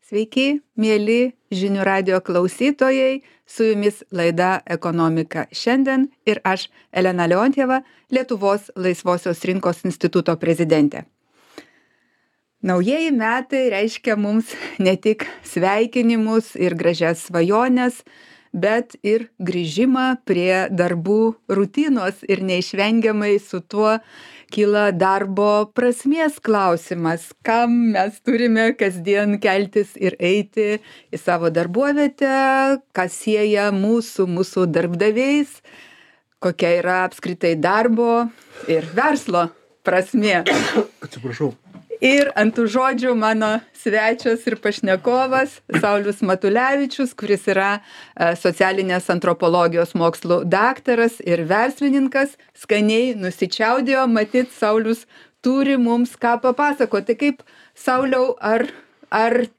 Sveiki, mėly žinių radio klausytojai, su jumis laida Ekonomika šiandien ir aš, Elena Leontjeva, Lietuvos laisvosios rinkos instituto prezidentė. Naujieji metai reiškia mums ne tik sveikinimus ir gražias svajones, bet ir grįžimą prie darbų rutinos ir neišvengiamai su tuo kyla darbo prasmės klausimas, kam mes turime kasdien keltis ir eiti į savo darbovietę, kas sieja mūsų darbdaviais, kokia yra apskritai darbo ir verslo prasmė. Atsiprašau. Ir ant tų žodžių mano svečias ir pašnekovas Saulius Matulevičius, kuris yra socialinės antropologijos mokslų daktaras ir verslininkas. Skaniai nusičiaudėjo, matyt, Saulius turi mums ką papasakoti. Kaip, Sauliau, ar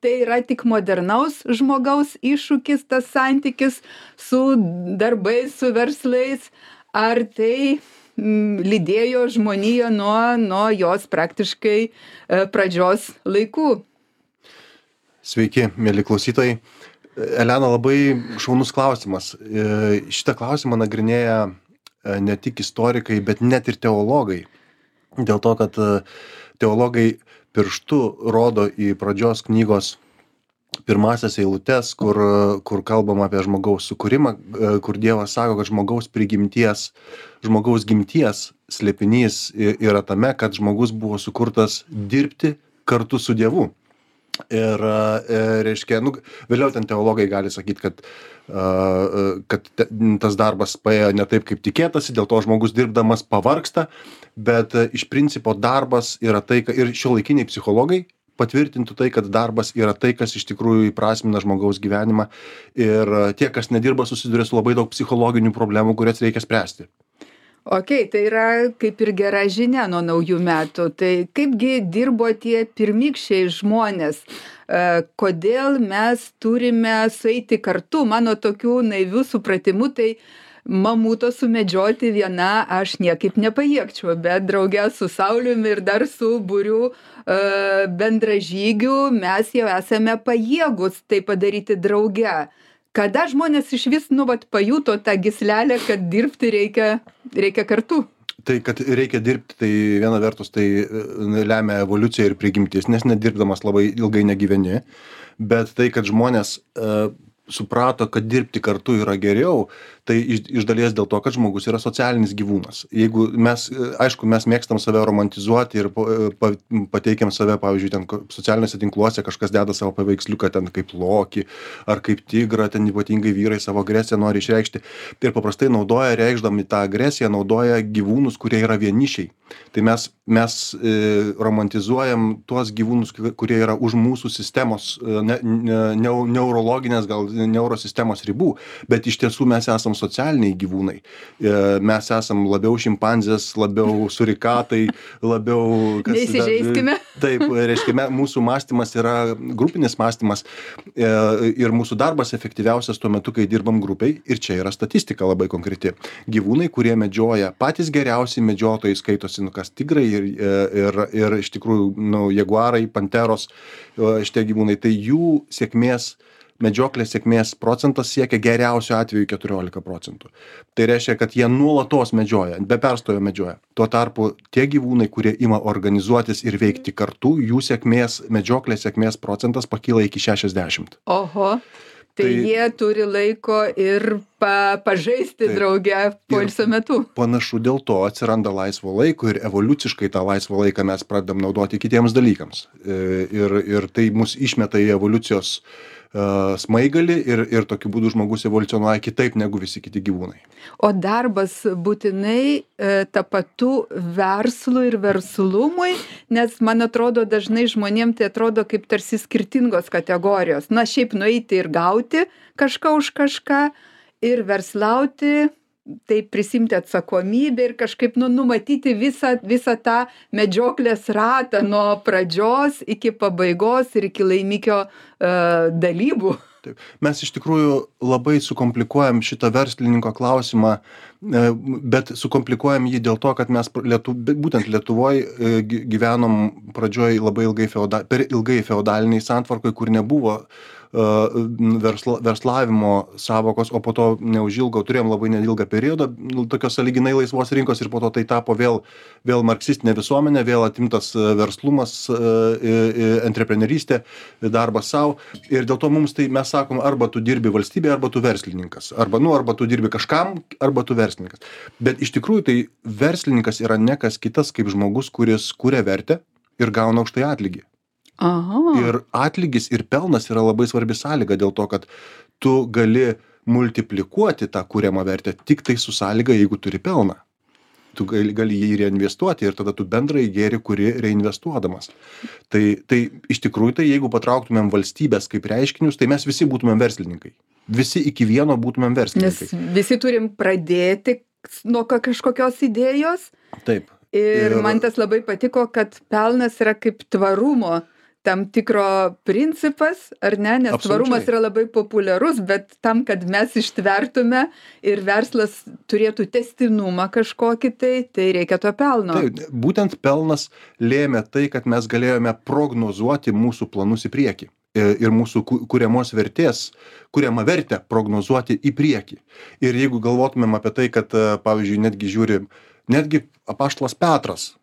tai yra tik modernaus žmogaus iššūkis, tas santykis su darbais, su verslais, ar tai lydėjo žmoniją nuo jos praktiškai pradžios laikų? Sveiki, mėly klausytojai. Elena, labai šaunus klausimas. Šitą klausimą nagrinėja ne tik istorikai, bet net ir teologai. Dėl to, kad teologai pirštu rodo į pradžios knygos pirmasias eilutes, kur kalbama apie žmogaus sukūrimą, kur Dievas sako, kad žmogaus gimties slėpinys yra tame, kad žmogus buvo sukurtas dirbti kartu su Dievu. Ir reiškia, vėliau ten teologai gali sakyti, kad tas darbas paėjo ne taip, kaip tikėtasi, dėl to žmogus dirbdamas pavargsta, bet iš principo darbas yra tai, ir šiuolaikiniai psichologai patvirtintų tai, kad darbas yra tai, kas iš tikrųjų įprasmina žmogaus gyvenimą, ir tie, kas nedirba, susiduria su labai daug psichologinių problemų, kurias reikia spręsti. Ok, tai yra kaip ir gera žinia nuo naujų metų. Tai kaipgi dirbo tie pirmykščiai žmonės? Kodėl mes turime sueiti kartu? Mano tokių naivių supratimų, tai mamuto sumedžioti viena aš niekaip nepajėgčiau, bet drauge su Sauliumi ir dar su būriu bendražygių mes jau esame pajėgus tai padaryti drauge. Kada žmonės išvis pajuto tą gyslelę, kad dirbti reikia kartu? Tai, kad reikia dirbti, tai viena vertus tai lemia evoliucija ir prigimtis, nes nedirbdamas labai ilgai negyveni, bet tai, kad žmonės suprato, kad dirbti kartu yra geriau, tai iš dalies dėl to, kad žmogus yra socialinis gyvūnas. Jeigu mes mėgstam save romantizuoti ir pateikiam save, pavyzdžiui, ten socialiniuose tinkluose kažkas deda savo paveiksliuką ten kaip lokį ar kaip tigrą, ten ypatingai vyrai savo agresiją nori išreikšti. Ir paprastai reikšdami tą agresiją, naudoja gyvūnus, kurie yra vienišiai. Tai mes romantizuojam tuos gyvūnus, kurie yra už mūsų sistemos, neurologinės, gal neurosistemos ribų, bet iš tiesų mes esam socialiniai gyvūnai. Mes esam labiau šimpanzės, labiau surikatai, labiau... Neįsižeiskime. Taip, reiškia, mūsų mąstymas yra grupinis mąstymas ir mūsų darbas efektyviausias tuo metu, kai dirbam grupiai, ir čia yra statistika labai konkreti. Gyvūnai, kurie medžioja, patys geriausi medžiotojai skaitosi, kas tigrai ir iš tikrųjų, jaguarai, panteros, šitie gyvūnai, tai jų medžioklės sėkmės procentas siekia geriausiu atveju 14%. Tai reiškia, kad jie nuolatos medžioja, be perstojo medžioja. Tuo tarpu tie gyvūnai, kurie ima organizuotis ir veikti kartu, jų medžioklės sėkmės procentas pakyla iki 60%. Oho, tai jie turi laiko ir pažaisti drauge poilsio metu. Panašu, dėl to atsiranda laisvo laiko ir evoliuciškai tą laisvą laiką mes pradedam naudoti kitiems dalykams. Ir tai mus išmeta į evoliucijos smaigalį ir tokiu būdu žmogus evoliucionuoja kitaip negu visi kiti gyvūnai. O darbas būtinai tapatu verslui ir verslumui, nes man atrodo dažnai žmonėm tai atrodo kaip tarsi skirtingos kategorijos. Na, šiaip nueiti ir gauti kažką už kažką ir verslauti, tai prisimti atsakomybę ir kažkaip numatyti visą tą medžioklės ratą nuo pradžios iki pabaigos ir iki laimikio dalybų. Taip. Mes iš tikrųjų labai sukomplikuojam šitą verslininko klausimą, bet sukomplikuojam jį dėl to, kad mes būtent Lietuvoj gyvenom pradžioj labai per ilgai feodaliniai santvarkoj, kur nebuvo verslavimo savokos, o po to neužilgo turėjom labai neilgą periodą tokios sąlyginai laisvos rinkos ir po to tai tapo vėl marksistinė visuomenė, vėl atimtas verslumas, antreprenerystė, darbas savo. Ir dėl to mums tai mes sakom, arba tu dirbi valstybėje, arba tu verslininkas. Arba tu dirbi kažkam, arba tu verslininkas. Bet iš tikrųjų tai verslininkas yra ne kas kitas kaip žmogus, kuris kuria vertę ir gauna už tai atlygį. Aha. Ir atlygis ir pelnas yra labai svarbi sąlyga dėl to, kad tu gali multiplikuoti tą kuriamą vertę tik tai su sąlyga, jeigu turi pelną. Tu gali jį reinvestuoti ir tada tu bendrai gėri kuri reinvestuodamas. Tai iš tikrųjų, tai jeigu patrauktumėm valstybės kaip reiškinius, tai mes visi būtumėm verslininkai. Visi iki vieno būtumėm verslininkai. Nes visi turim pradėti nuo kažkokios idėjos. Taip. Ir man tas labai patiko, kad pelnas yra kaip tvarumo tam tikro principas, ar ne? Nes Absoliučiai. Tvarumas yra labai populiarus, bet tam, kad mes ištvertume ir verslas turėtų testinumą kažkokį, tai reikia to pelno. Taip, būtent pelnas lėmė tai, kad mes galėjome prognozuoti mūsų planus į priekį. Ir mūsų kuriamą vertę prognozuoti į priekį. Ir jeigu galvotumėm apie tai, kad, pavyzdžiui, netgi apaštalas Petras,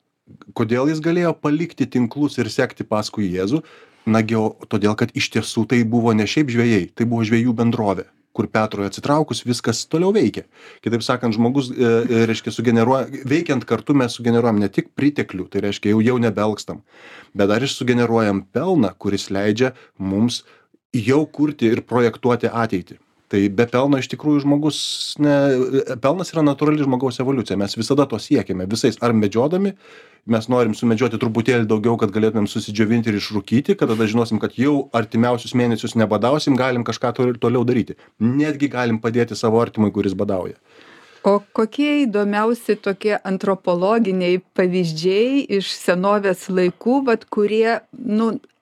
kodėl jis galėjo palikti tinklus ir sekti paskui Jėzų? Nagi, todėl, kad iš tiesų tai buvo ne šiaip žvejai, tai buvo žvejų bendrovė, kur Petrui atsitraukus viskas toliau veikia. Kitaip sakant, žmogus, reiškia, veikiant kartu mes sugeneruojam ne tik priteklių, tai reiškia, jau nebelgstam, bet dar ir sugeneruojam pelną, kuris leidžia mums jau kurti ir projektuoti ateitį. Tai be pelno iš tikrųjų pelnas yra natūrali žmogaus evoliucija. Mes visada to siekiame, visais ar medžiodami, mes norim sumedžioti truputėlį daugiau, kad galėtumėm susidžiovinti ir išrūkyti, kad tada žinosim, kad jau artimiausius mėnesius nebadausim, galim kažką toliau daryti. Netgi galim padėti savo artimui, kuris badauja. O kokie įdomiausi tokie antropologiniai pavyzdžiai iš senovės laikų, kurie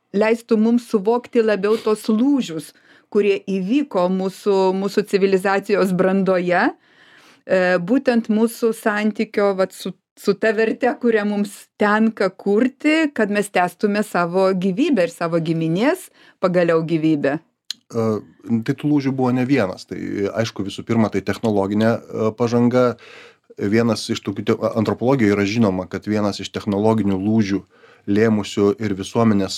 leistų mums suvokti labiau tos lūžius, kurie įvyko mūsų civilizacijos brandoje, būtent mūsų santykio su ta verte, kurią mums tenka kurti, kad mes tęstume savo gyvybę ir savo giminės pagaliau gyvybę. Tai tų lūžių buvo ne vienas. Tai aišku, visų pirma, tai technologinė pažanga. Antropologijoje yra žinoma, kad vienas iš technologinių lūžių lėmusių ir visuomenės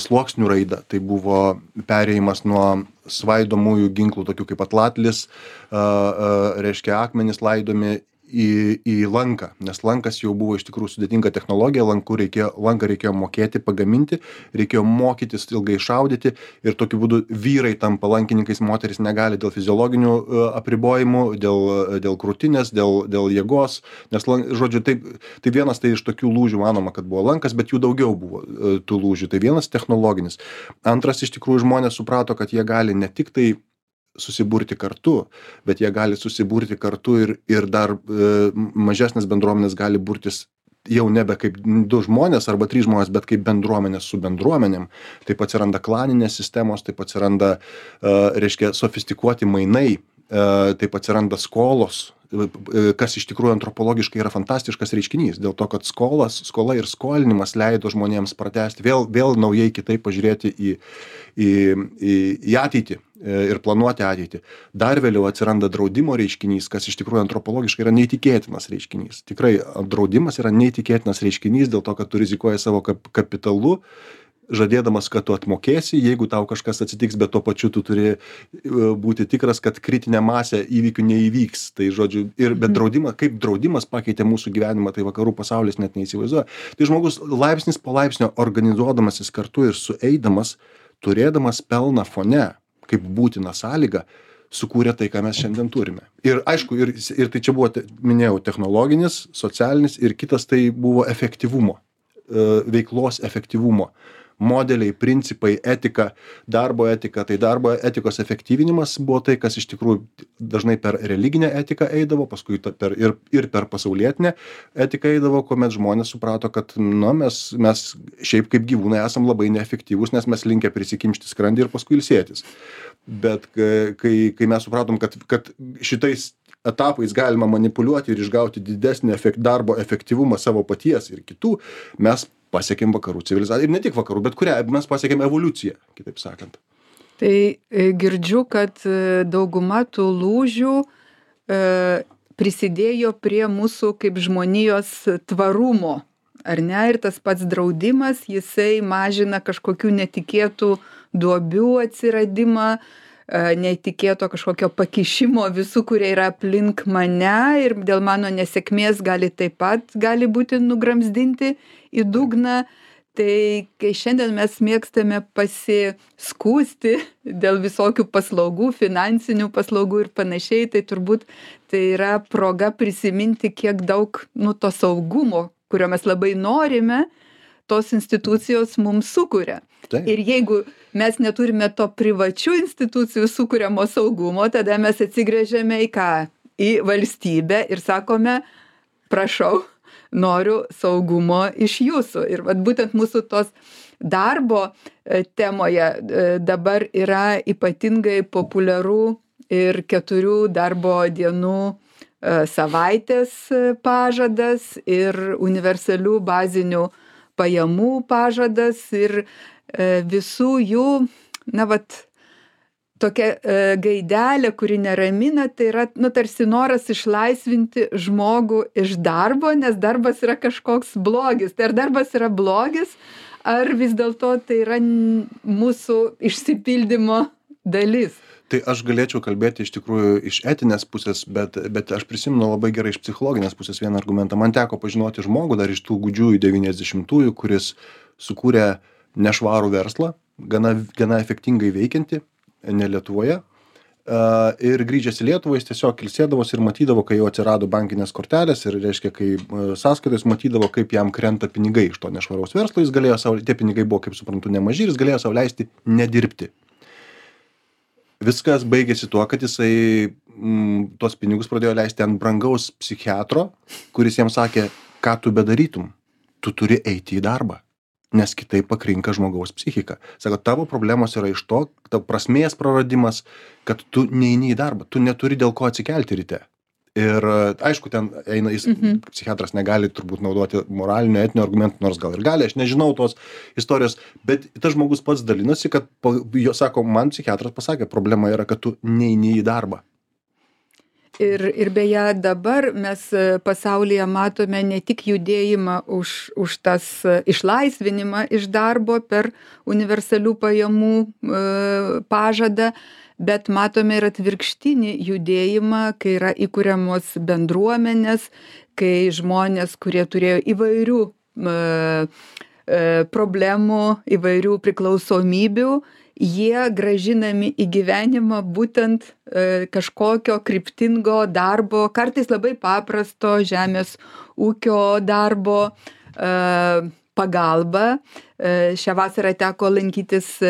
sluoksnių raidą. Tai buvo perėjimas nuo svaidomųjų ginklų, tokių kaip atlatlis, reiškia akmenys laidomi į lanką, nes lankas jau buvo iš tikrųjų sudėtinga technologija, lanką reikėjo mokėti, pagaminti, reikėjo mokytis ilgai šaudyti ir tokiu būdu vyrai tampa lankininkais, moteris negali dėl fiziologinių apribojimų, dėl krūtinės, dėl jėgos, nes, žodžiu, tai vienas tai iš tokių lūžių manoma, kad buvo lankas, bet jų daugiau buvo tų lūžių, tai vienas technologinis. Antras, iš tikrųjų, žmonės suprato, kad jie gali ne tik tai susiburti kartu, bet jie gali susiburti kartu ir dar mažesnės bendruomenės gali burtis jau nebe kaip 2 žmonės arba 3 žmonės, bet kaip bendruomenės su bendruomenėm. Taip atsiranda klaninės sistemos, taip atsiranda, reiškia, sofistikuoti mainai, taip atsiranda skolos, kas iš tikrųjų antropologiškai yra fantastiškas reiškinys, dėl to, kad skola ir skolinimas leido žmonėms pratęsti, vėl naujai kitaip pažiūrėti į ateitį ir planuoti ateitį. Dar vėliau atsiranda draudimo reiškinys, kas iš tikrųjų antropologiškai yra neįtikėtinas reiškinys. Tikrai draudimas yra neįtikėtinas reiškinys dėl to, kad tu rizikuoji savo kapitalu, žadėdamas, kad tu atmokėsi, jeigu tau kažkas atsitiks, bet tuo pačiu tu turi būti tikras, kad kritinė masė įvykių neįvyks. Tai žodžiu, bet kaip draudimas pakeitė mūsų gyvenimą, tai vakarų pasaulis net neįsivaizduoja. Tai žmogus laipsnis po laipsnio organizuodamasis kartu ir sueidamas, turėdamas pelną fone, kaip būtiną sąlygą, sukūrė tai, ką mes šiandien turime. Ir aišku, ir tai čia buvo, minėjau, technologinis, socialinis ir kitas tai buvo efektyvumo, veiklos efektyvumo modeliai, principai, etika, darbo etika. Tai darbo etikos efektyvinimas buvo tai, kas iš tikrųjų dažnai per religinę etiką eidavo, paskui ir per pasaulietinę etiką eidavo, kuomet žmonės suprato, kad mes šiaip kaip gyvūnai esam labai neefektyvūs, nes mes linkę prisikimšti skrandį ir paskui ilsėtis. Bet kai mes supratom, kad šitais etapais galima manipuliuoti ir išgauti didesnį darbo efektyvumą savo paties ir kitų, mes pasiekėm vakarų civilizaciją. Ir ne tik vakarų, bet mes pasiekėm evoliuciją, kitaip sakant. Tai girdžiu, kad dauguma tų lūžių prisidėjo prie mūsų kaip žmonijos tvarumo, ar ne? Ir tas pats draudimas, jisai mažina kažkokių netikėtų duobių atsiradimą, netikėto kažkokio pakišimo visų, kurie yra aplink mane ir dėl mano nesėkmės gali būti nugramzdinti į dugną. Tai kai šiandien mes mėgstame pasiskųsti dėl visokių paslaugų, finansinių paslaugų ir panašiai, tai turbūt tai yra proga prisiminti, kiek daug to saugumo, kurio mes labai norime, tos institucijos mums sukuria. Taip. Ir jeigu mes neturime to privačių institucijų sukuriamo saugumo, tada mes atsigręžiame į ką? Į valstybę ir sakome, prašau, noriu saugumo iš jūsų. Ir vat būtent mūsų tos darbo temoje dabar yra ypatingai populiaru ir 4 darbo dienų savaitės pažadas ir universalių bazinių pajamų pažadas ir visų jų, tokia gaidelė, kuri neramina, tai yra, tarsi noras išlaisvinti žmogų iš darbo, nes darbas yra kažkoks blogis. Tai ar darbas yra blogis, ar vis dėlto tai yra mūsų išsipildymo dalis? Tai aš galėčiau kalbėti iš tikrųjų iš etinės pusės, bet aš prisimenu labai gerai iš psichologinės pusės vieną argumentą. Man teko pažinoti žmogų dar iš tų gūdžiųjų 90-ųjų, kuris sukūrė nešvarų verslą, gana efektingai veikianti, ne Lietuvoje. Ir grįžęs į Lietuvą, jis tiesiog ilsėdavosi ir matydavo, kai jau atsirado bankinės kortelės ir reiškia, kai sąskaitos matydavo, kaip jam krenta pinigai iš to nešvaraus verslo, jis galėjo tie pinigai buvo, kaip suprantu, nemaži ir jis galėjo sau leisti nedirbti. Viskas baigėsi tuo, kad jisai tuos pinigus pradėjo leisti ant brangaus psichiatro, kuris jam sakė, ką tu bedarytum, tu turi eiti į darbą, nes kitaip pakrinka žmogaus psichika. Sako, tavo problemos yra iš to, tavo prasmės praradimas, kad tu neini į darbą, tu neturi dėl ko atsikelti ryte. Ir aišku, ten eina, psichiatras negali turbūt naudoti moralinio, etinio argumentų, nors gal ir gali, aš nežinau tos istorijos, bet tas žmogus pats dalinosi, kad jo sako, man psichiatras pasakė, problema yra, kad tu neini į darbą. Ir beje, dabar mes pasaulyje matome ne tik judėjimą už tas išlaisvinimą iš darbo per universalių pajamų pažadą, bet matome ir atvirkštinį judėjimą, kai yra įkuriamos bendruomenės, kai žmonės, kurie turėjo įvairių problemų, įvairių priklausomybių, jie grąžinami į gyvenimą būtent kažkokio kryptingo darbo, kartais labai paprasto žemės ūkio darbo pagalba. Šią vasarą teko lankytis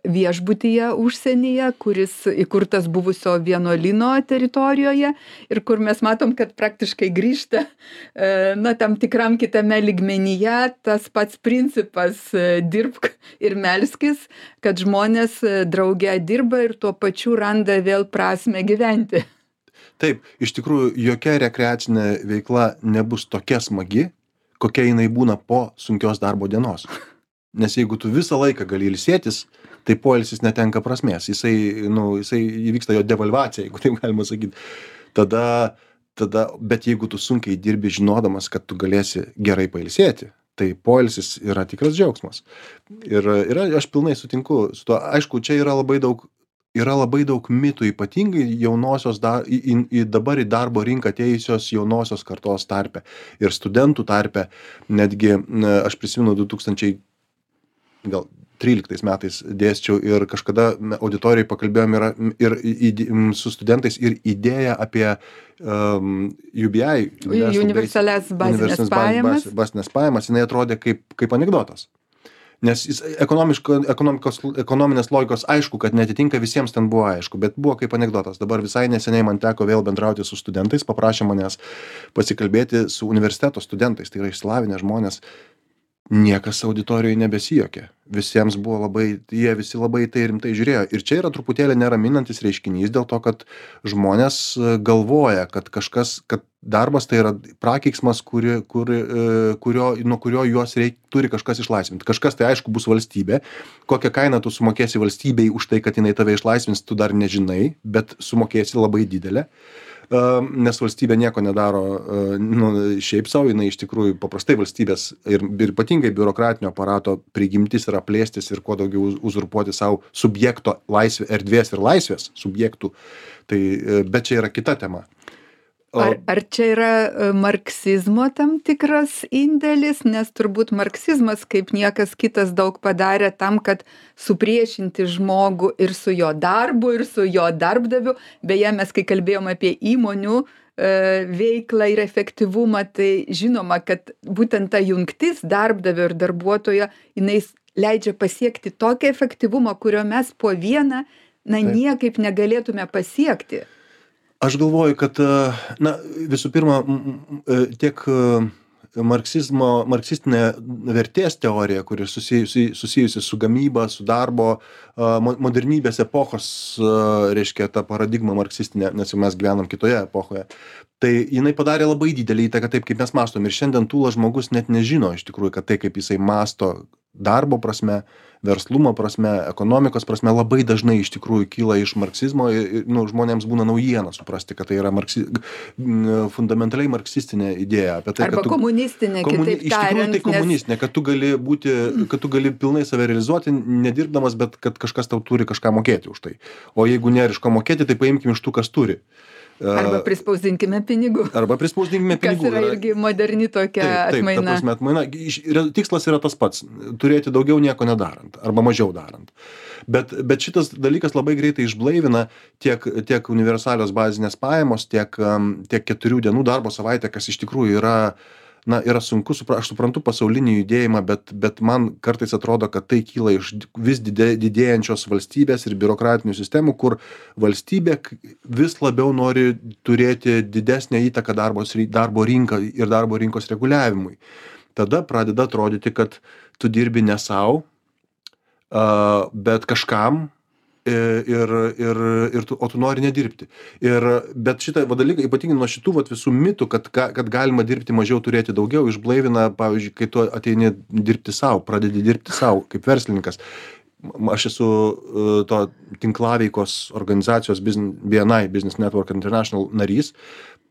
viešbutyje užsienyje, kuris įkurtas buvusio vienuolyno teritorijoje ir kur mes matom, kad praktiškai grįžta tam tikram kitame lygmenyje tas pats principas dirbk ir melskis, kad žmonės drauge dirba ir tuo pačiu randa vėl prasmę gyventi. Taip, iš tikrųjų, jokia rekreacinė veikla nebus tokia smagi, kokia jinai būna po sunkios darbo dienos. Nes jeigu tu visą laiką gali ilsėtis, tai poilsis netenka prasmės. Jisai įvyksta jo devalvacija, jeigu taip galima sakyti. Bet jeigu tu sunkiai dirbi žinodamas, kad tu galėsi gerai pailsėti, tai poilsis yra tikras džiaugsmas. Ir aš pilnai sutinku su tuo. Aišku, čia yra labai daug mitų, ypatingai dabar į darbo rinką atėjusios jaunosios kartos tarpe ir studentų tarpe. Netgi aš prisimenu 2013 metais dėsčiau ir kažkada auditorijai pakalbėjom ir su studentais ir idėją apie UBI. Universalias bazinės pajamas. Bazinės pajamas, jinai atrodė kaip anekdotas. Nes jis ekonominės logikos aišku, kad neatitinka, visiems ten buvo aišku, bet buvo kaip anekdotas. Dabar visai neseniai man teko vėl bendrauti su studentais, paprašė manęs pasikalbėti su universiteto studentais, tai yra išsilavinę žmonės. Niekas auditorijoje nebesijuokė. Visiems buvo jie visi labai tai rimtai žiūrėjo. Ir čia yra truputėlį neraminantis reiškinys dėl to, kad žmonės galvoja, kad darbas tai yra prakeiksmas, nuo kurio juos turi kažkas išlaisvinti. Kažkas tai aišku bus valstybė. Kokią kainą tu sumokėsi valstybei už tai, kad jinai tave išlaisvins, tu dar nežinai, bet sumokėsi labai didelę. Nes valstybė nieko nedaro šiaip savo, jinai iš tikrųjų paprastai valstybės ir ypatingai biurokratinio aparato prigimtis yra plėstis ir kuo daugiau uzurpuoti savo subjekto erdvės ir laisvės subjektų. Bet čia yra kita tema. Ar čia yra marksizmo tam tikras indėlis, nes turbūt marksizmas kaip niekas kitas daug padarė tam, kad supriešinti žmogų ir su jo darbu, ir su jo darbdaviu. Beje, mes kai kalbėjom apie įmonių veiklą ir efektyvumą, tai žinoma, kad būtent ta jungtis darbdavio ir darbuotojo, jinai leidžia pasiekti tokį efektyvumą, kurio mes po vieną niekaip negalėtume pasiekti. Aš galvoju, kad, visų pirma, tiek marksistinė vertės teorija, kuri susijusi su gamyba, su darbo, modernybės epochos, reiškia, ta paradigma marksistinė, nes jau mes gyvenam kitoje epochoje, tai jinai padarė labai didelį įtaką taip, kaip mes mąstom. Ir šiandien tūlas žmogus net nežino iš tikrųjų, kad tai, kaip jisai mąsto darbo prasme, verslumo prasme, ekonomikos prasme, labai dažnai iš tikrųjų kyla iš marksizmo. Žmonėms būna naujiena suprasti, kad tai yra fundamentaliai marksistinė idėja. Apie tai, arba komunistinė, kitaip iš tikrųjų tai komunistinė, kad tu gali pilnai save realizuoti, nedirbdamas, bet kad kažkas tau turi kažką mokėti už tai. O jeigu nėra iš ko mokėti, tai paimkim iš tų, kas turi. Arba prispausdinkime pinigų. Kas yra irgi moderni tokia atmaina. Tikslas yra tas pats - turėti daugiau nieko nedarant arba mažiau darant. Bet šitas dalykas labai greitai išblaivina tiek universalios bazinės pajamos, tiek 4 dienų darbo savaitė, kas iš tikrųjų yra sunku, aš suprantu pasaulinį judėjimą, bet man kartais atrodo, kad tai kyla iš vis didėjančios valstybės ir biurokratinių sistemų, kur valstybė vis labiau nori turėti didesnę įtaką darbo rinką ir darbo rinkos reguliavimui. Tada pradeda atrodyti, kad tu dirbi ne savo, bet kažkam, o tu nori nedirbti. Bet šitą dalyką, ypatingai nuo šitų visų mitų, kad galima dirbti mažiau, turėti daugiau, išblaivina, pavyzdžiui, kai tu ateini dirbti savo, pradedi dirbti savo kaip verslininkas. Aš esu to tinklaveikos organizacijos BNI, Business Network International narys.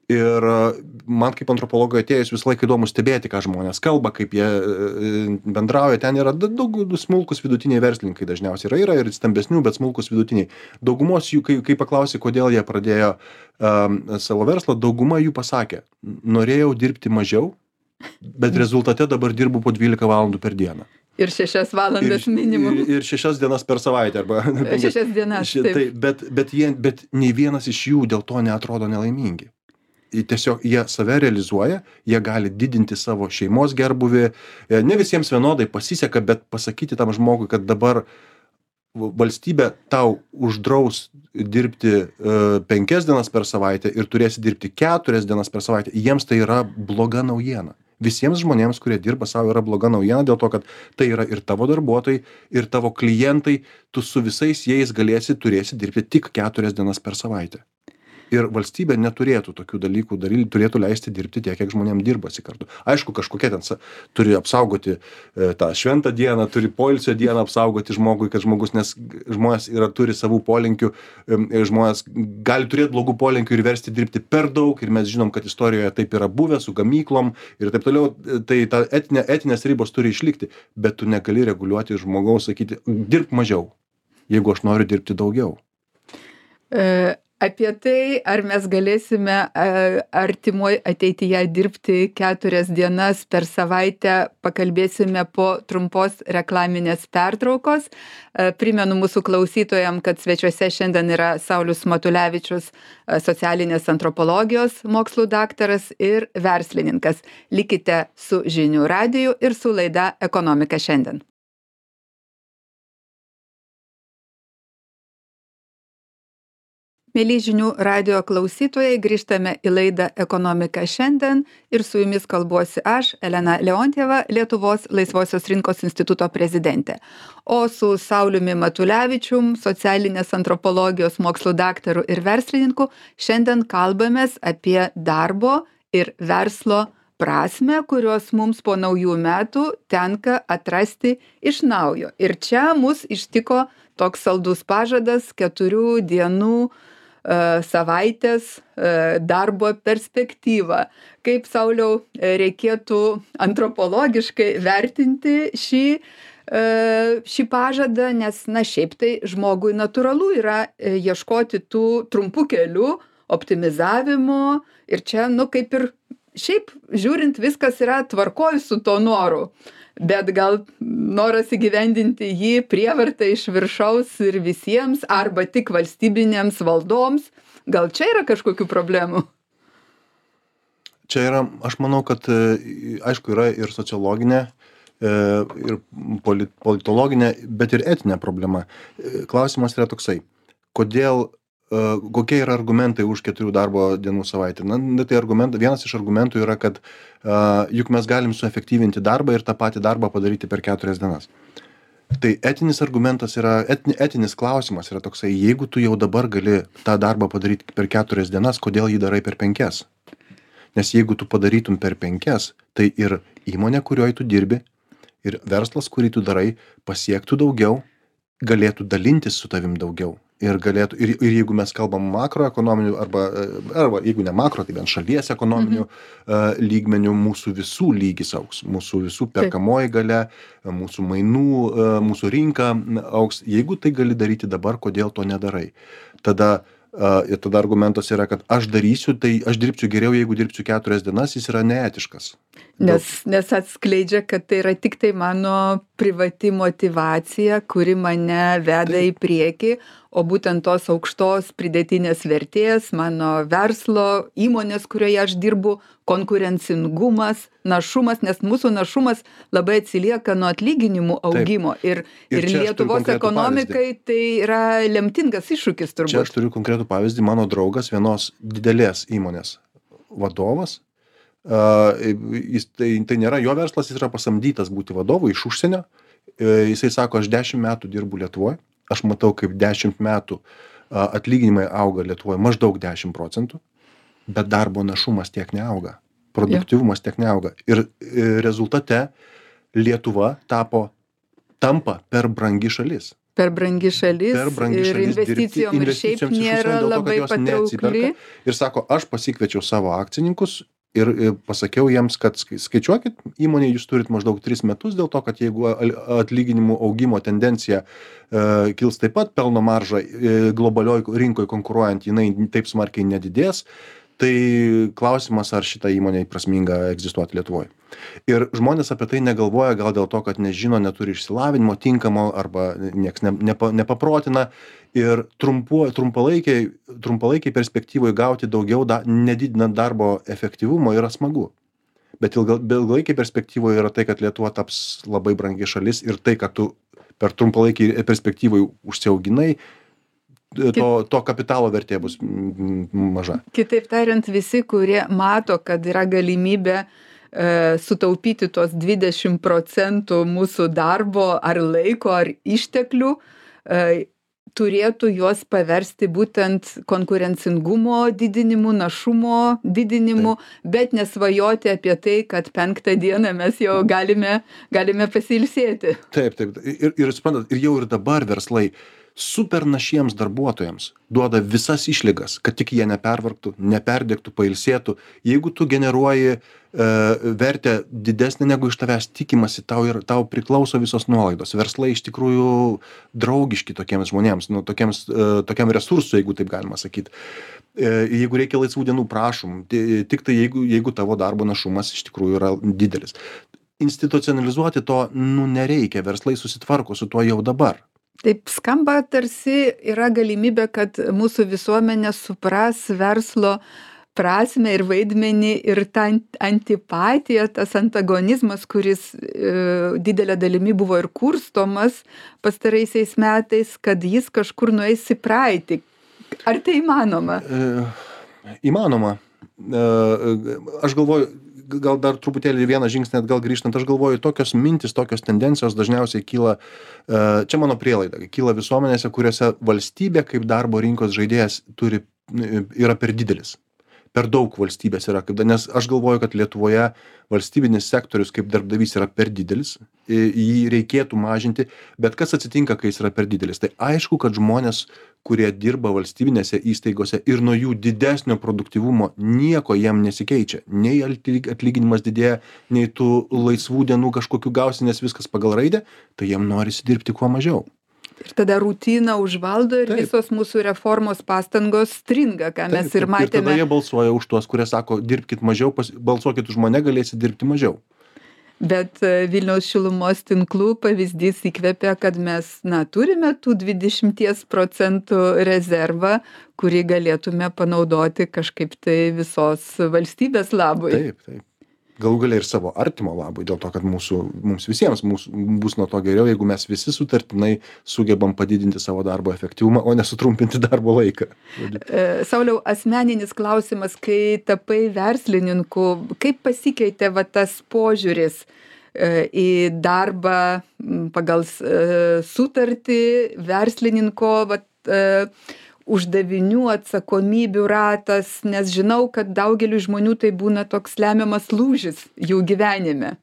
Ir man kaip antropologui atėjus visą laiką įdomu stebėti, ką žmonės kalba, kaip jie bendrauja. Ten yra daug smulkus vidutiniai verslininkai dažniausiai yra ir stambesnių, bet smulkus vidutiniai. Daugumos jų, kai paklausė, kodėl jie pradėjo savo verslą, dauguma jų pasakė, norėjau dirbti mažiau, bet rezultate dabar dirbu po 12 valandų per dieną. Ir 6 valandas minimum. Ir 6 dienas per savaitę. 6 dienas, taip. Bet nei vienas iš jų dėl to neatrodo nelaimingi. Tiesiog jie save realizuoja, jie gali didinti savo šeimos gerbuvį. Ne visiems vienodai pasiseka, bet pasakyti tam žmogui, kad dabar valstybė tau uždraus dirbti 5 dienas per savaitę ir turėsi dirbti 4 dienas per savaitę, jiems tai yra bloga naujiena. Visiems žmonėms, kurie dirba savo, yra bloga naujiena dėl to, kad tai yra ir tavo darbuotojai, ir tavo klientai, tu su visais jais turėsi dirbti tik 4 dienas per savaitę. Ir valstybė neturėtų tokių dalykų daryti, turėtų leisti dirbti tiek, kiek žmonėms dirbasi kartu. Aišku, kažkokie ten turi apsaugoti tą šventą dieną, turi poilsio dieną apsaugoti žmogui, kad nes žmonės turi savų polinkių, žmonės gali turėti blogų polinkių ir versti dirbti per daug, ir mes žinom, kad istorijoje taip yra buvę su gamyklom ir taip toliau, tai ta etinės ribos turi išlikti, bet tu negali reguliuoti žmogaus, sakyti, dirbk mažiau, jeigu aš noriu dirbti daugiau. Apie tai, ar mes galėsime artimoj ateityje dirbti 4 dienas per savaitę, pakalbėsime po trumpos reklaminės pertraukos. Primenu mūsų klausytojams, kad svečiuose šiandien yra Saulius Matulevičius, socialinės antropologijos mokslų daktaras ir verslininkas. Likite su Žinių radiju ir su laida Ekonomika šiandien. Mieli žinių radio klausytojai, grįžtame į laidą Ekonomika šiandien ir su jumis kalbuosi aš, Elena Leontjeva, Lietuvos Laisvosios rinkos instituto prezidentė. O su Sauliumi Matulevičium, socialinės antropologijos mokslų daktaru ir verslininku, šiandien kalbamės apie darbo ir verslo prasmę, kurios mums po naujų metų tenka atrasti iš naujo. Ir čia mus ištiko toks saldus pažadas 4 dienų savaitės darbo perspektyvą. Kaip, Sauliau, reikėtų antropologiškai vertinti šį pažadą, nes, šiaip tai žmogui natūralu yra ieškoti tų trumpų kelių, optimizavimo ir čia, kaip ir šiaip žiūrint, viskas yra tvarkoj su to noru. Bet gal noras įgyvendinti jį prievarta iš viršaus ir visiems, arba tik valstybinėms valdoms, gal čia yra kažkokių problemų? Čia yra, aš manau, kad aišku yra ir sociologinė, ir politologinė, bet ir etinė problema. Klausimas yra toksai, kokie yra argumentai už 4 darbo dienų savaitę. Tai vienas iš argumentų yra, kad juk mes galim suefektyvinti darbą ir tą patį darbą padaryti per 4 dienas. Tai etinis argumentas yra, etinis klausimas yra toksai, jeigu tu jau dabar gali tą darbą padaryti per 4 dienas, kodėl jį darai per 5? Nes jeigu tu padarytum per 5, tai ir įmonė, kurioje tu dirbi, ir verslas, kurį tu darai, pasiektų daugiau, galėtų dalintis su tavim daugiau. Ir jeigu mes kalbam makroekonominių arba jeigu ne makro, tai bent šalies ekonominių lygmenių, mūsų visų lygis augs, mūsų visų perkamoji galia, mūsų mainų, mūsų rinka augs. Jeigu tai gali daryti dabar, kodėl to nedarai? Tada argumentas yra, kad aš dirbsiu geriau, jeigu dirbsiu 4 dienas, jis yra neetiškas. Nes atskleidžia, kad tai yra tik tai mano privati motyvacija, kuri mane veda į priekį, o būtent tos aukštos pridėtinės vertės, mano verslo, įmonės, kurioje aš dirbu, konkurencingumas, našumas, nes mūsų našumas labai atsilieka nuo atlyginimų augimo. Ir Lietuvos ekonomikai tai yra lemtingas iššūkis turbūt. Čia aš turiu konkretų pavyzdį. Mano draugas, vienos didelės įmonės vadovas, tai nėra jo verslas, jis yra pasamdytas būti vadovu iš užsienio. Jisai sako, aš 10 metų dirbu Lietuvoje, aš matau, kaip 10 metų atlyginimai auga Lietuvoje maždaug 10%, bet darbo našumas tiek neauga, produktyvumas tiek neauga. Ir rezultate Lietuva tampa per brangi šalis. Per brangi šalis ir investicijom ir šiaip nėra labai patraukli. Ir sako, aš pasikviečiau savo akcininkus ir pasakiau jiems, kad skaičiuokit, įmonė jūs turit maždaug 3 metus, dėl to, kad jeigu atlyginimų augimo tendencija kils taip pat, pelno marža globalioj rinkoje konkuruojant, jinai taip smarkiai nedidės, tai klausimas, ar šita įmonė prasminga egzistuoti Lietuvoje. Ir žmonės apie tai negalvoja, gal dėl to, kad nežino, neturi išsilavinimo tinkamo arba nieks nepaprotina. Ir trumpalaikiai perspektyvoje gauti daugiau, nedidinant darbo efektyvumo, yra smagu. Bet ilgalaikiai perspektyvoje yra tai, kad Lietuva taps labai brangi šalis ir tai, kad tu per trumpalaikiai perspektyvoje užsiauginai, to kapitalo vertė bus maža. Kitaip tariant, visi, kurie mato, kad yra galimybė sutaupyti tos 20% mūsų darbo ar laiko ar išteklių, turėtų juos paversti būtent konkurencingumo didinimu, našumo didinimu, bet nesvajoti apie tai, kad 5 dieną mes jau galime pasiilsėti. Taip. Ir suprantat, ir jau ir dabar verslai super našiems darbuotojams duoda visas išlygas, kad tik jie nepervargtų, neperdegtų, pailsėtų. Jeigu tu generuoji vertę didesnė negu iš tavęs tikimasi, tau priklauso visos nuolaidos. Verslai iš tikrųjų draugiški tokiems žmonėms, tokiam resursui, jeigu taip galima sakyti. Jeigu reikia laisvų dienų, prašom, tik tai jeigu tavo darbo našumas iš tikrųjų yra didelis. Institucionalizuoti to nereikia, verslai susitvarko su tuo jau dabar. Taip skamba, tarsi yra galimybė, kad mūsų visuomenė supras verslo prasmę ir vaidmenį ir tą antipatiją, tas antagonizmas, kuris didelė dalimi buvo ir kurstomas pastaraisiais metais, kad jis kažkur nueis į praeitį. Ar tai įmanoma? Įmanoma. Aš galvoju, gal dar truputėlį vieną žingsnį atgal grįžtant, aš galvoju, tokios mintis, tokios tendencijos dažniausiai kyla, čia mano prielaida, kyla visuomenėse, kuriuose valstybė kaip darbo rinkos žaidėjas yra per didelis. Per daug valstybės yra, nes aš galvoju, kad Lietuvoje valstybinis sektorius kaip darbdavys yra per didelis, jį reikėtų mažinti, bet kas atsitinka, kai jis yra per didelis? Tai aišku, kad žmonės, kurie dirba valstybinėse įstaigose ir nuo jų didesnio produktyvumo nieko jiem nesikeičia. Nei atlyginimas didėja, nei tų laisvų dienų kažkokių gausi, nes viskas pagal raidę, tai jiem norisi dirbti kuo mažiau. Ir tada rutina užvaldo ir visos mūsų reformos pastangos stringa, ką mes ir matėme. Ir tada jie balsuoja už tuos, kurie sako, dirbkit mažiau, balsuokit už mane, galėsit dirbti mažiau. Bet Vilniaus šilumos tinklų pavyzdys įkvepia, kad mes turime tų 20% rezervą, kurį galėtume panaudoti kažkaip tai visos valstybės labui. Taip. Galų galia ir savo artimo labui, dėl to, kad mums visiems bus nuo to geriau, jeigu mes visi sutartinai sugebam padidinti savo darbo efektyvumą, o nesutrumpinti darbo laiką. Sauliau, asmeninis klausimas, kai tapai verslininku, kaip pasikeitė tas požiūris į darbą pagal sutartį, verslininko uždavinių, atsakomybių ratas, nes žinau, kad daugeliu žmonių tai būna toks lemiamas lūžis jų gyvenime.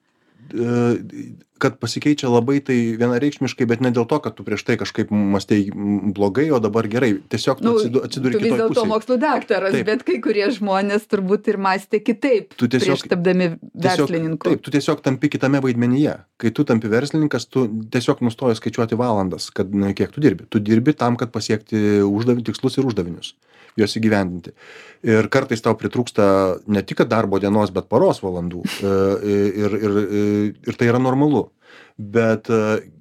Kad pasikeičia labai tai vienareikšmiškai, bet ne dėl to, kad tu prieš tai kažkaip mąstei blogai, o dabar gerai. Tiesiog tu atsiduri kitoj pusėj. Tu vis dėlto mokslų daktaras, taip. Bet kai kurie žmonės turbūt ir mąstė kitaip prieš tapdami verslininku. Taip, tu tiesiog tampi kitame vaidmenyje. Kai tu tampi verslininkas, tu tiesiog nustoji skaičiuoti valandas, kad kiek tu dirbi. Tu dirbi tam, kad pasiekti tikslus ir uždavinius, juos įgyvendinti. Ir kartais tau pritrūksta ne tik darbo dienos, bet paros valandų. Ir tai yra normalu. Bet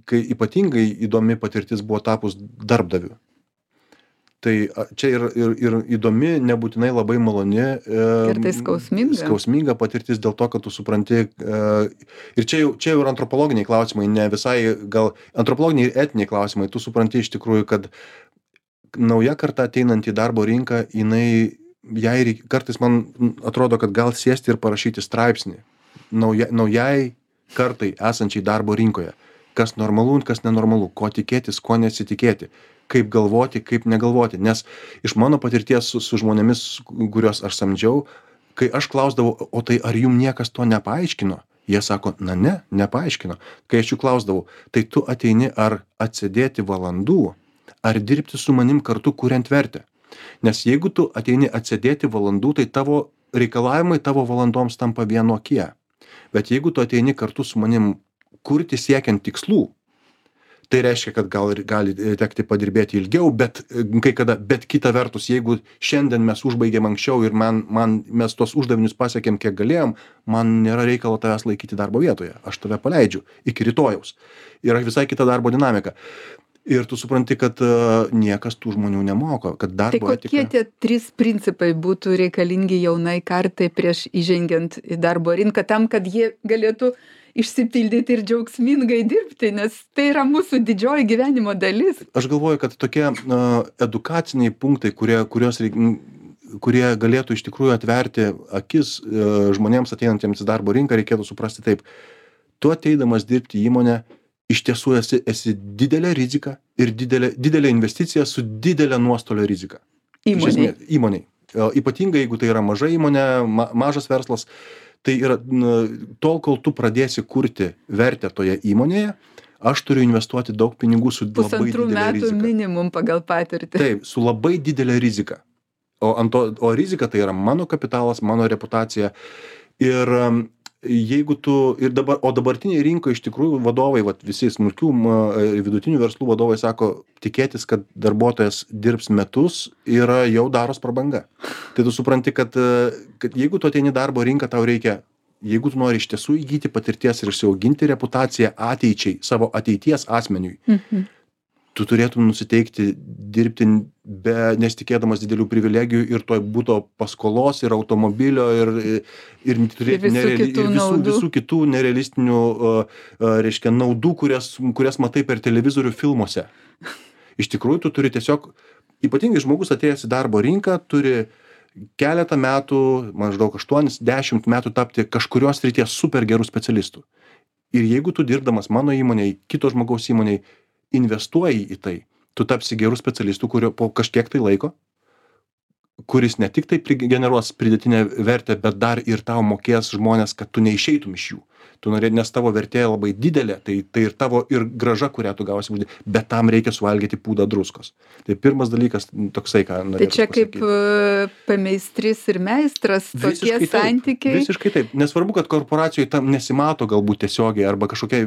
kai ypatingai įdomi patirtis buvo tapus darbdaviu. Tai čia ir įdomi, nebūtinai labai maloni. Kartais skausminga patirtis dėl to, kad tu supranti. Ir čia jau ir antropologiniai klausimai, ne visai, gal antropologiniai ir etiniai klausimai. Tu supranti iš tikrųjų, kad nauja karta ateinant į darbo rinką, kartais man atrodo, kad gal sėsti ir parašyti straipsnį naujai kartai esančiai darbo rinkoje. Kas normalu, kas nenormalu, ko tikėtis, ko nesitikėti, kaip galvoti, kaip negalvoti. Nes iš mano patirties su žmonėmis, kuriuos aš samdžiau, kai aš klausdavau, o tai ar jum niekas to nepaaiškino? Jie sako, nepaaiškino. Kai aš jų klausdavau, tai tu ateini ar atsėdėti valandų, ar dirbti su manim kartu kuriant vertę. Nes jeigu tu ateini atsėdėti valandų, tai tavo reikalavimai tavo valandoms tampa vienokie. Bet jeigu tu ateini kartu su manim kurti siekiant tikslų, tai reiškia, kad gali tekti padirbėti ilgiau, bet kita vertus, jeigu šiandien mes užbaigėm anksčiau ir mes tuos uždavinius pasiekėm, kiek galėjom, man nėra reikalo tavęs laikyti darbo vietoje. Aš tave paleidžiu iki rytojaus. Yra visai kita darbo dinamika. Ir tu supranti, kad niekas tų žmonių nemoko, kad darbo etika. Tai kokie tie 3 principai būtų reikalingi jaunai kartai prieš įžengiant į darbo rinką, tam, kad jie galėtų išsipildyti ir džiaugsmingai dirbti, nes tai yra mūsų didžioji gyvenimo dalis. Aš galvoju, kad tokie edukaciniai punktai, kurie galėtų iš tikrųjų atverti akis žmonėms ateinantiems į darbo rinką, reikėtų suprasti taip. Tu ateidamas dirbti į įmonę, iš tiesų esi didelė rizika ir didelė investicija su didelė nuostolio rizika. Įmoniai. Ypatingai, jeigu tai yra maža įmonė, mažas verslas, tai yra tol, kol tu pradėsi kurti vertę toje įmonėje, aš turiu investuoti daug pinigų su labai didelė rizika. 1,5 metų minimum pagal patirtį. Taip, su labai didelė rizika. O rizika tai yra mano kapitalas, mano reputacija. Ir dabartiniai rinkoje iš tikrųjų vadovai, visi smulkių ir vidutinių verslų vadovai sako, tikėtis, kad darbuotojas dirbs metus, yra jau daros prabanga. Tai tu supranti, kad jeigu tu ateini darbo rinką, tau reikia, jeigu tu nori iš tiesų įgyti patirties ir išsiauginti reputaciją ateičiai, savo ateities asmeniui, tu turėtum nusiteikti dirbti nesitikėdamas didelių privilegijų ir toj būto paskolos ir automobilio ir turėti visų kitų nerealistinių naudų, kurias matai per televizorių filmuose. Iš tikrųjų, tu turi tiesiog Ypatingai žmogus atėjęs į darbo rinką turi keletą metų, maždaug 8-10 metų tapti kažkurios srities super gerų specialistų. Ir jeigu tu dirbdamas mano įmonėj, kito žmogaus įmonėj, investuoji į tai, tu tapsi gerų specialistų, kurio po kažkiek tai laiko, kuris ne tik tai generuos pridėtinę vertę, bet dar ir tau mokės žmonės, kad tu neišeitum iš jų. Tu norėt, nes tavo vertė labai didelė, tai ir tavo ir grąža, kurią tu gausi, bet tam reikia suvalgyti pūdą druskos. Tai pirmas dalykas toksai, ką norėčiau pasakyti. Tai čia kaip pameistris ir meistras, tokie santykiai. Visiškai taip. Nesvarbu, kad korporacijoje tam nesimato galbūt tiesiogiai, arba kažkokia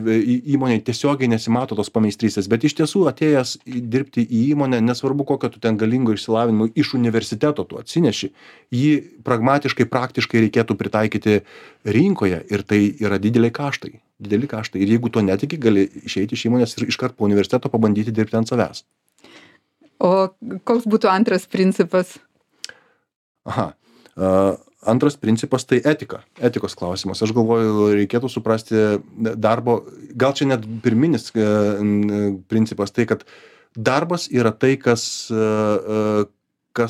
įmonė tiesiogiai nesimato tos pameistrystės, bet iš tiesų atėjęs dirbti į įmonę, nesvarbu, kokio tu ten galingo išsilavinimo iš universiteto tu atsineši, jį pragmatiškai, praktiškai reikėtų pritaikyti rinkoje ir tai yra dideli kaštai. Ir jeigu to netiki, gali išeiti iš įmonės ir iškart po universiteto pabandyti dirbti ant savęs. O koks būtų antras principas? Antras principas tai etikos klausimas. Aš galvoju, reikėtų suprasti darbo, gal čia net pirminis principas, tai kad darbas yra tai, kas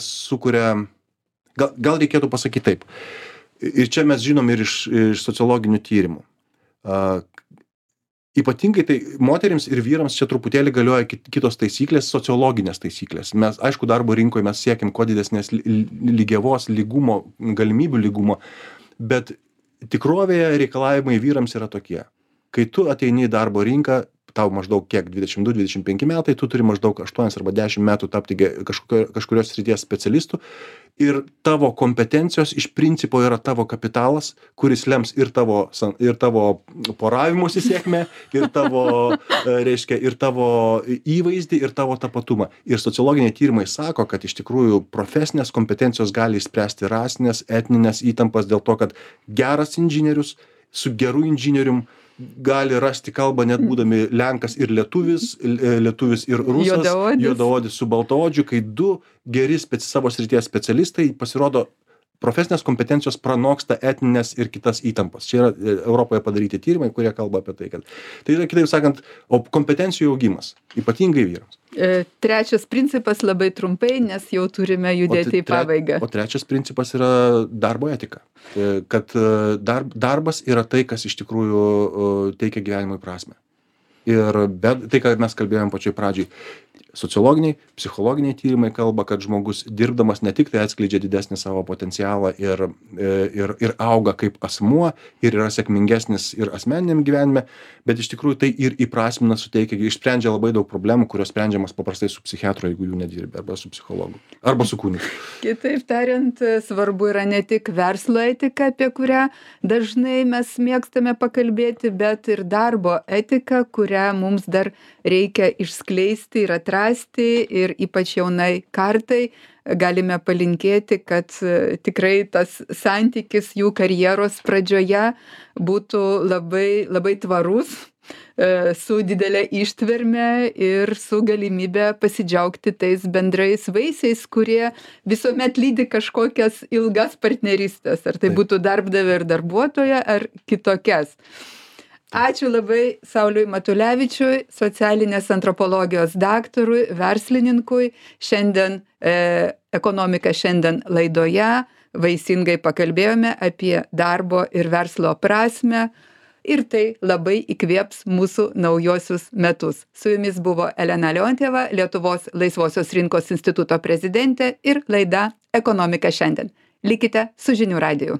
sukuria, gal reikėtų pasakyti taip. Ir čia mes žinom ir iš sociologinių tyrimų. Ypatingai tai moterims ir vyrams čia truputėlį galioja kitos taisyklės, sociologinės taisyklės. Mes, aišku, darbo rinkoje mes siekiam kuo didesnės lygiavos, lygumo, galimybių lygumo, bet tikrovėje reikalavimai vyrams yra tokie. Kai tu ateini į darbo rinką, tau maždaug kiek 22-25 metai, tu turi maždaug 8 arba 10 metų tapti kažkurios srities specialistų ir tavo kompetencijos iš principo yra tavo kapitalas, kuris lems ir tavo poravimosi sėkmę, ir tavo įvaizdį, ir tavo tapatumą. Ir sociologiniai tyrimai sako, kad iš tikrųjų profesinės kompetencijos gali išspręsti rasinės, etninės įtampas dėl to, kad geras inžinierius su geru inžinierium gali rasti kalbą net būdami Lenkas ir lietuvis ir rusas, juodaodis su baltaodžiu, kai du geri savo srities specialistai pasirodo profesinės kompetencijos pranoksta etninės ir kitas įtampas. Čia yra Europoje padaryti tyrimai, kurie kalba apie tai, kad tai yra, kitaip sakant, kompetencijų augimas, ypatingai vyrams. Trečias principas labai trumpai, nes jau turime judėti į pabaigą. O trečias principas yra darbo etika. Kad darbas yra tai, kas iš tikrųjų teikia gyvenimui prasmę. Ir tai, ką mes kalbėjom pačioj pradžiai, sociologiniai, psichologiniai tyrimai kalba, kad žmogus dirbdamas ne tik tai atskleidžia didesnį savo potencialą ir auga kaip asmuo ir yra sėkmingesnis ir asmeniniam gyvenime, bet iš tikrųjų tai ir įprasmina, suteikia, išsprendžia labai daug problemų, kurios sprendžiamas paprastai su psichiatru, jeigu jų nedirbi, arba su psichologu, arba su kunigu. Kitaip tariant, svarbu yra ne tik verslo etika, apie kurią dažnai mes mėgstame pakalbėti, bet ir darbo etika, kurią mums dar reikia išskleisti ir atrasti, ir ypač jaunai kartai galime palinkėti, kad tikrai tas santykis jų karjeros pradžioje būtų labai, labai tvarus, su didelė ištverme ir su galimybė pasidžiaugti tais bendrais vaisiais, kurie visuomet lydi kažkokias ilgas partnerystės, ar tai būtų darbdavio ir darbuotojo, ar kitokias. Ačiū labai Sauliui Matulevičiui, socialinės antropologijos daktarui, verslininkui. Šiandien Ekonomika šiandien laidoje vaisingai pakalbėjome apie darbo ir verslo prasmę ir tai labai įkvėps mūsų naujosius metus. Su jumis buvo Elena Leontjeva, Lietuvos laisvosios rinkos instituto prezidentė ir laida Ekonomika šiandien. Likite su žinių radiju.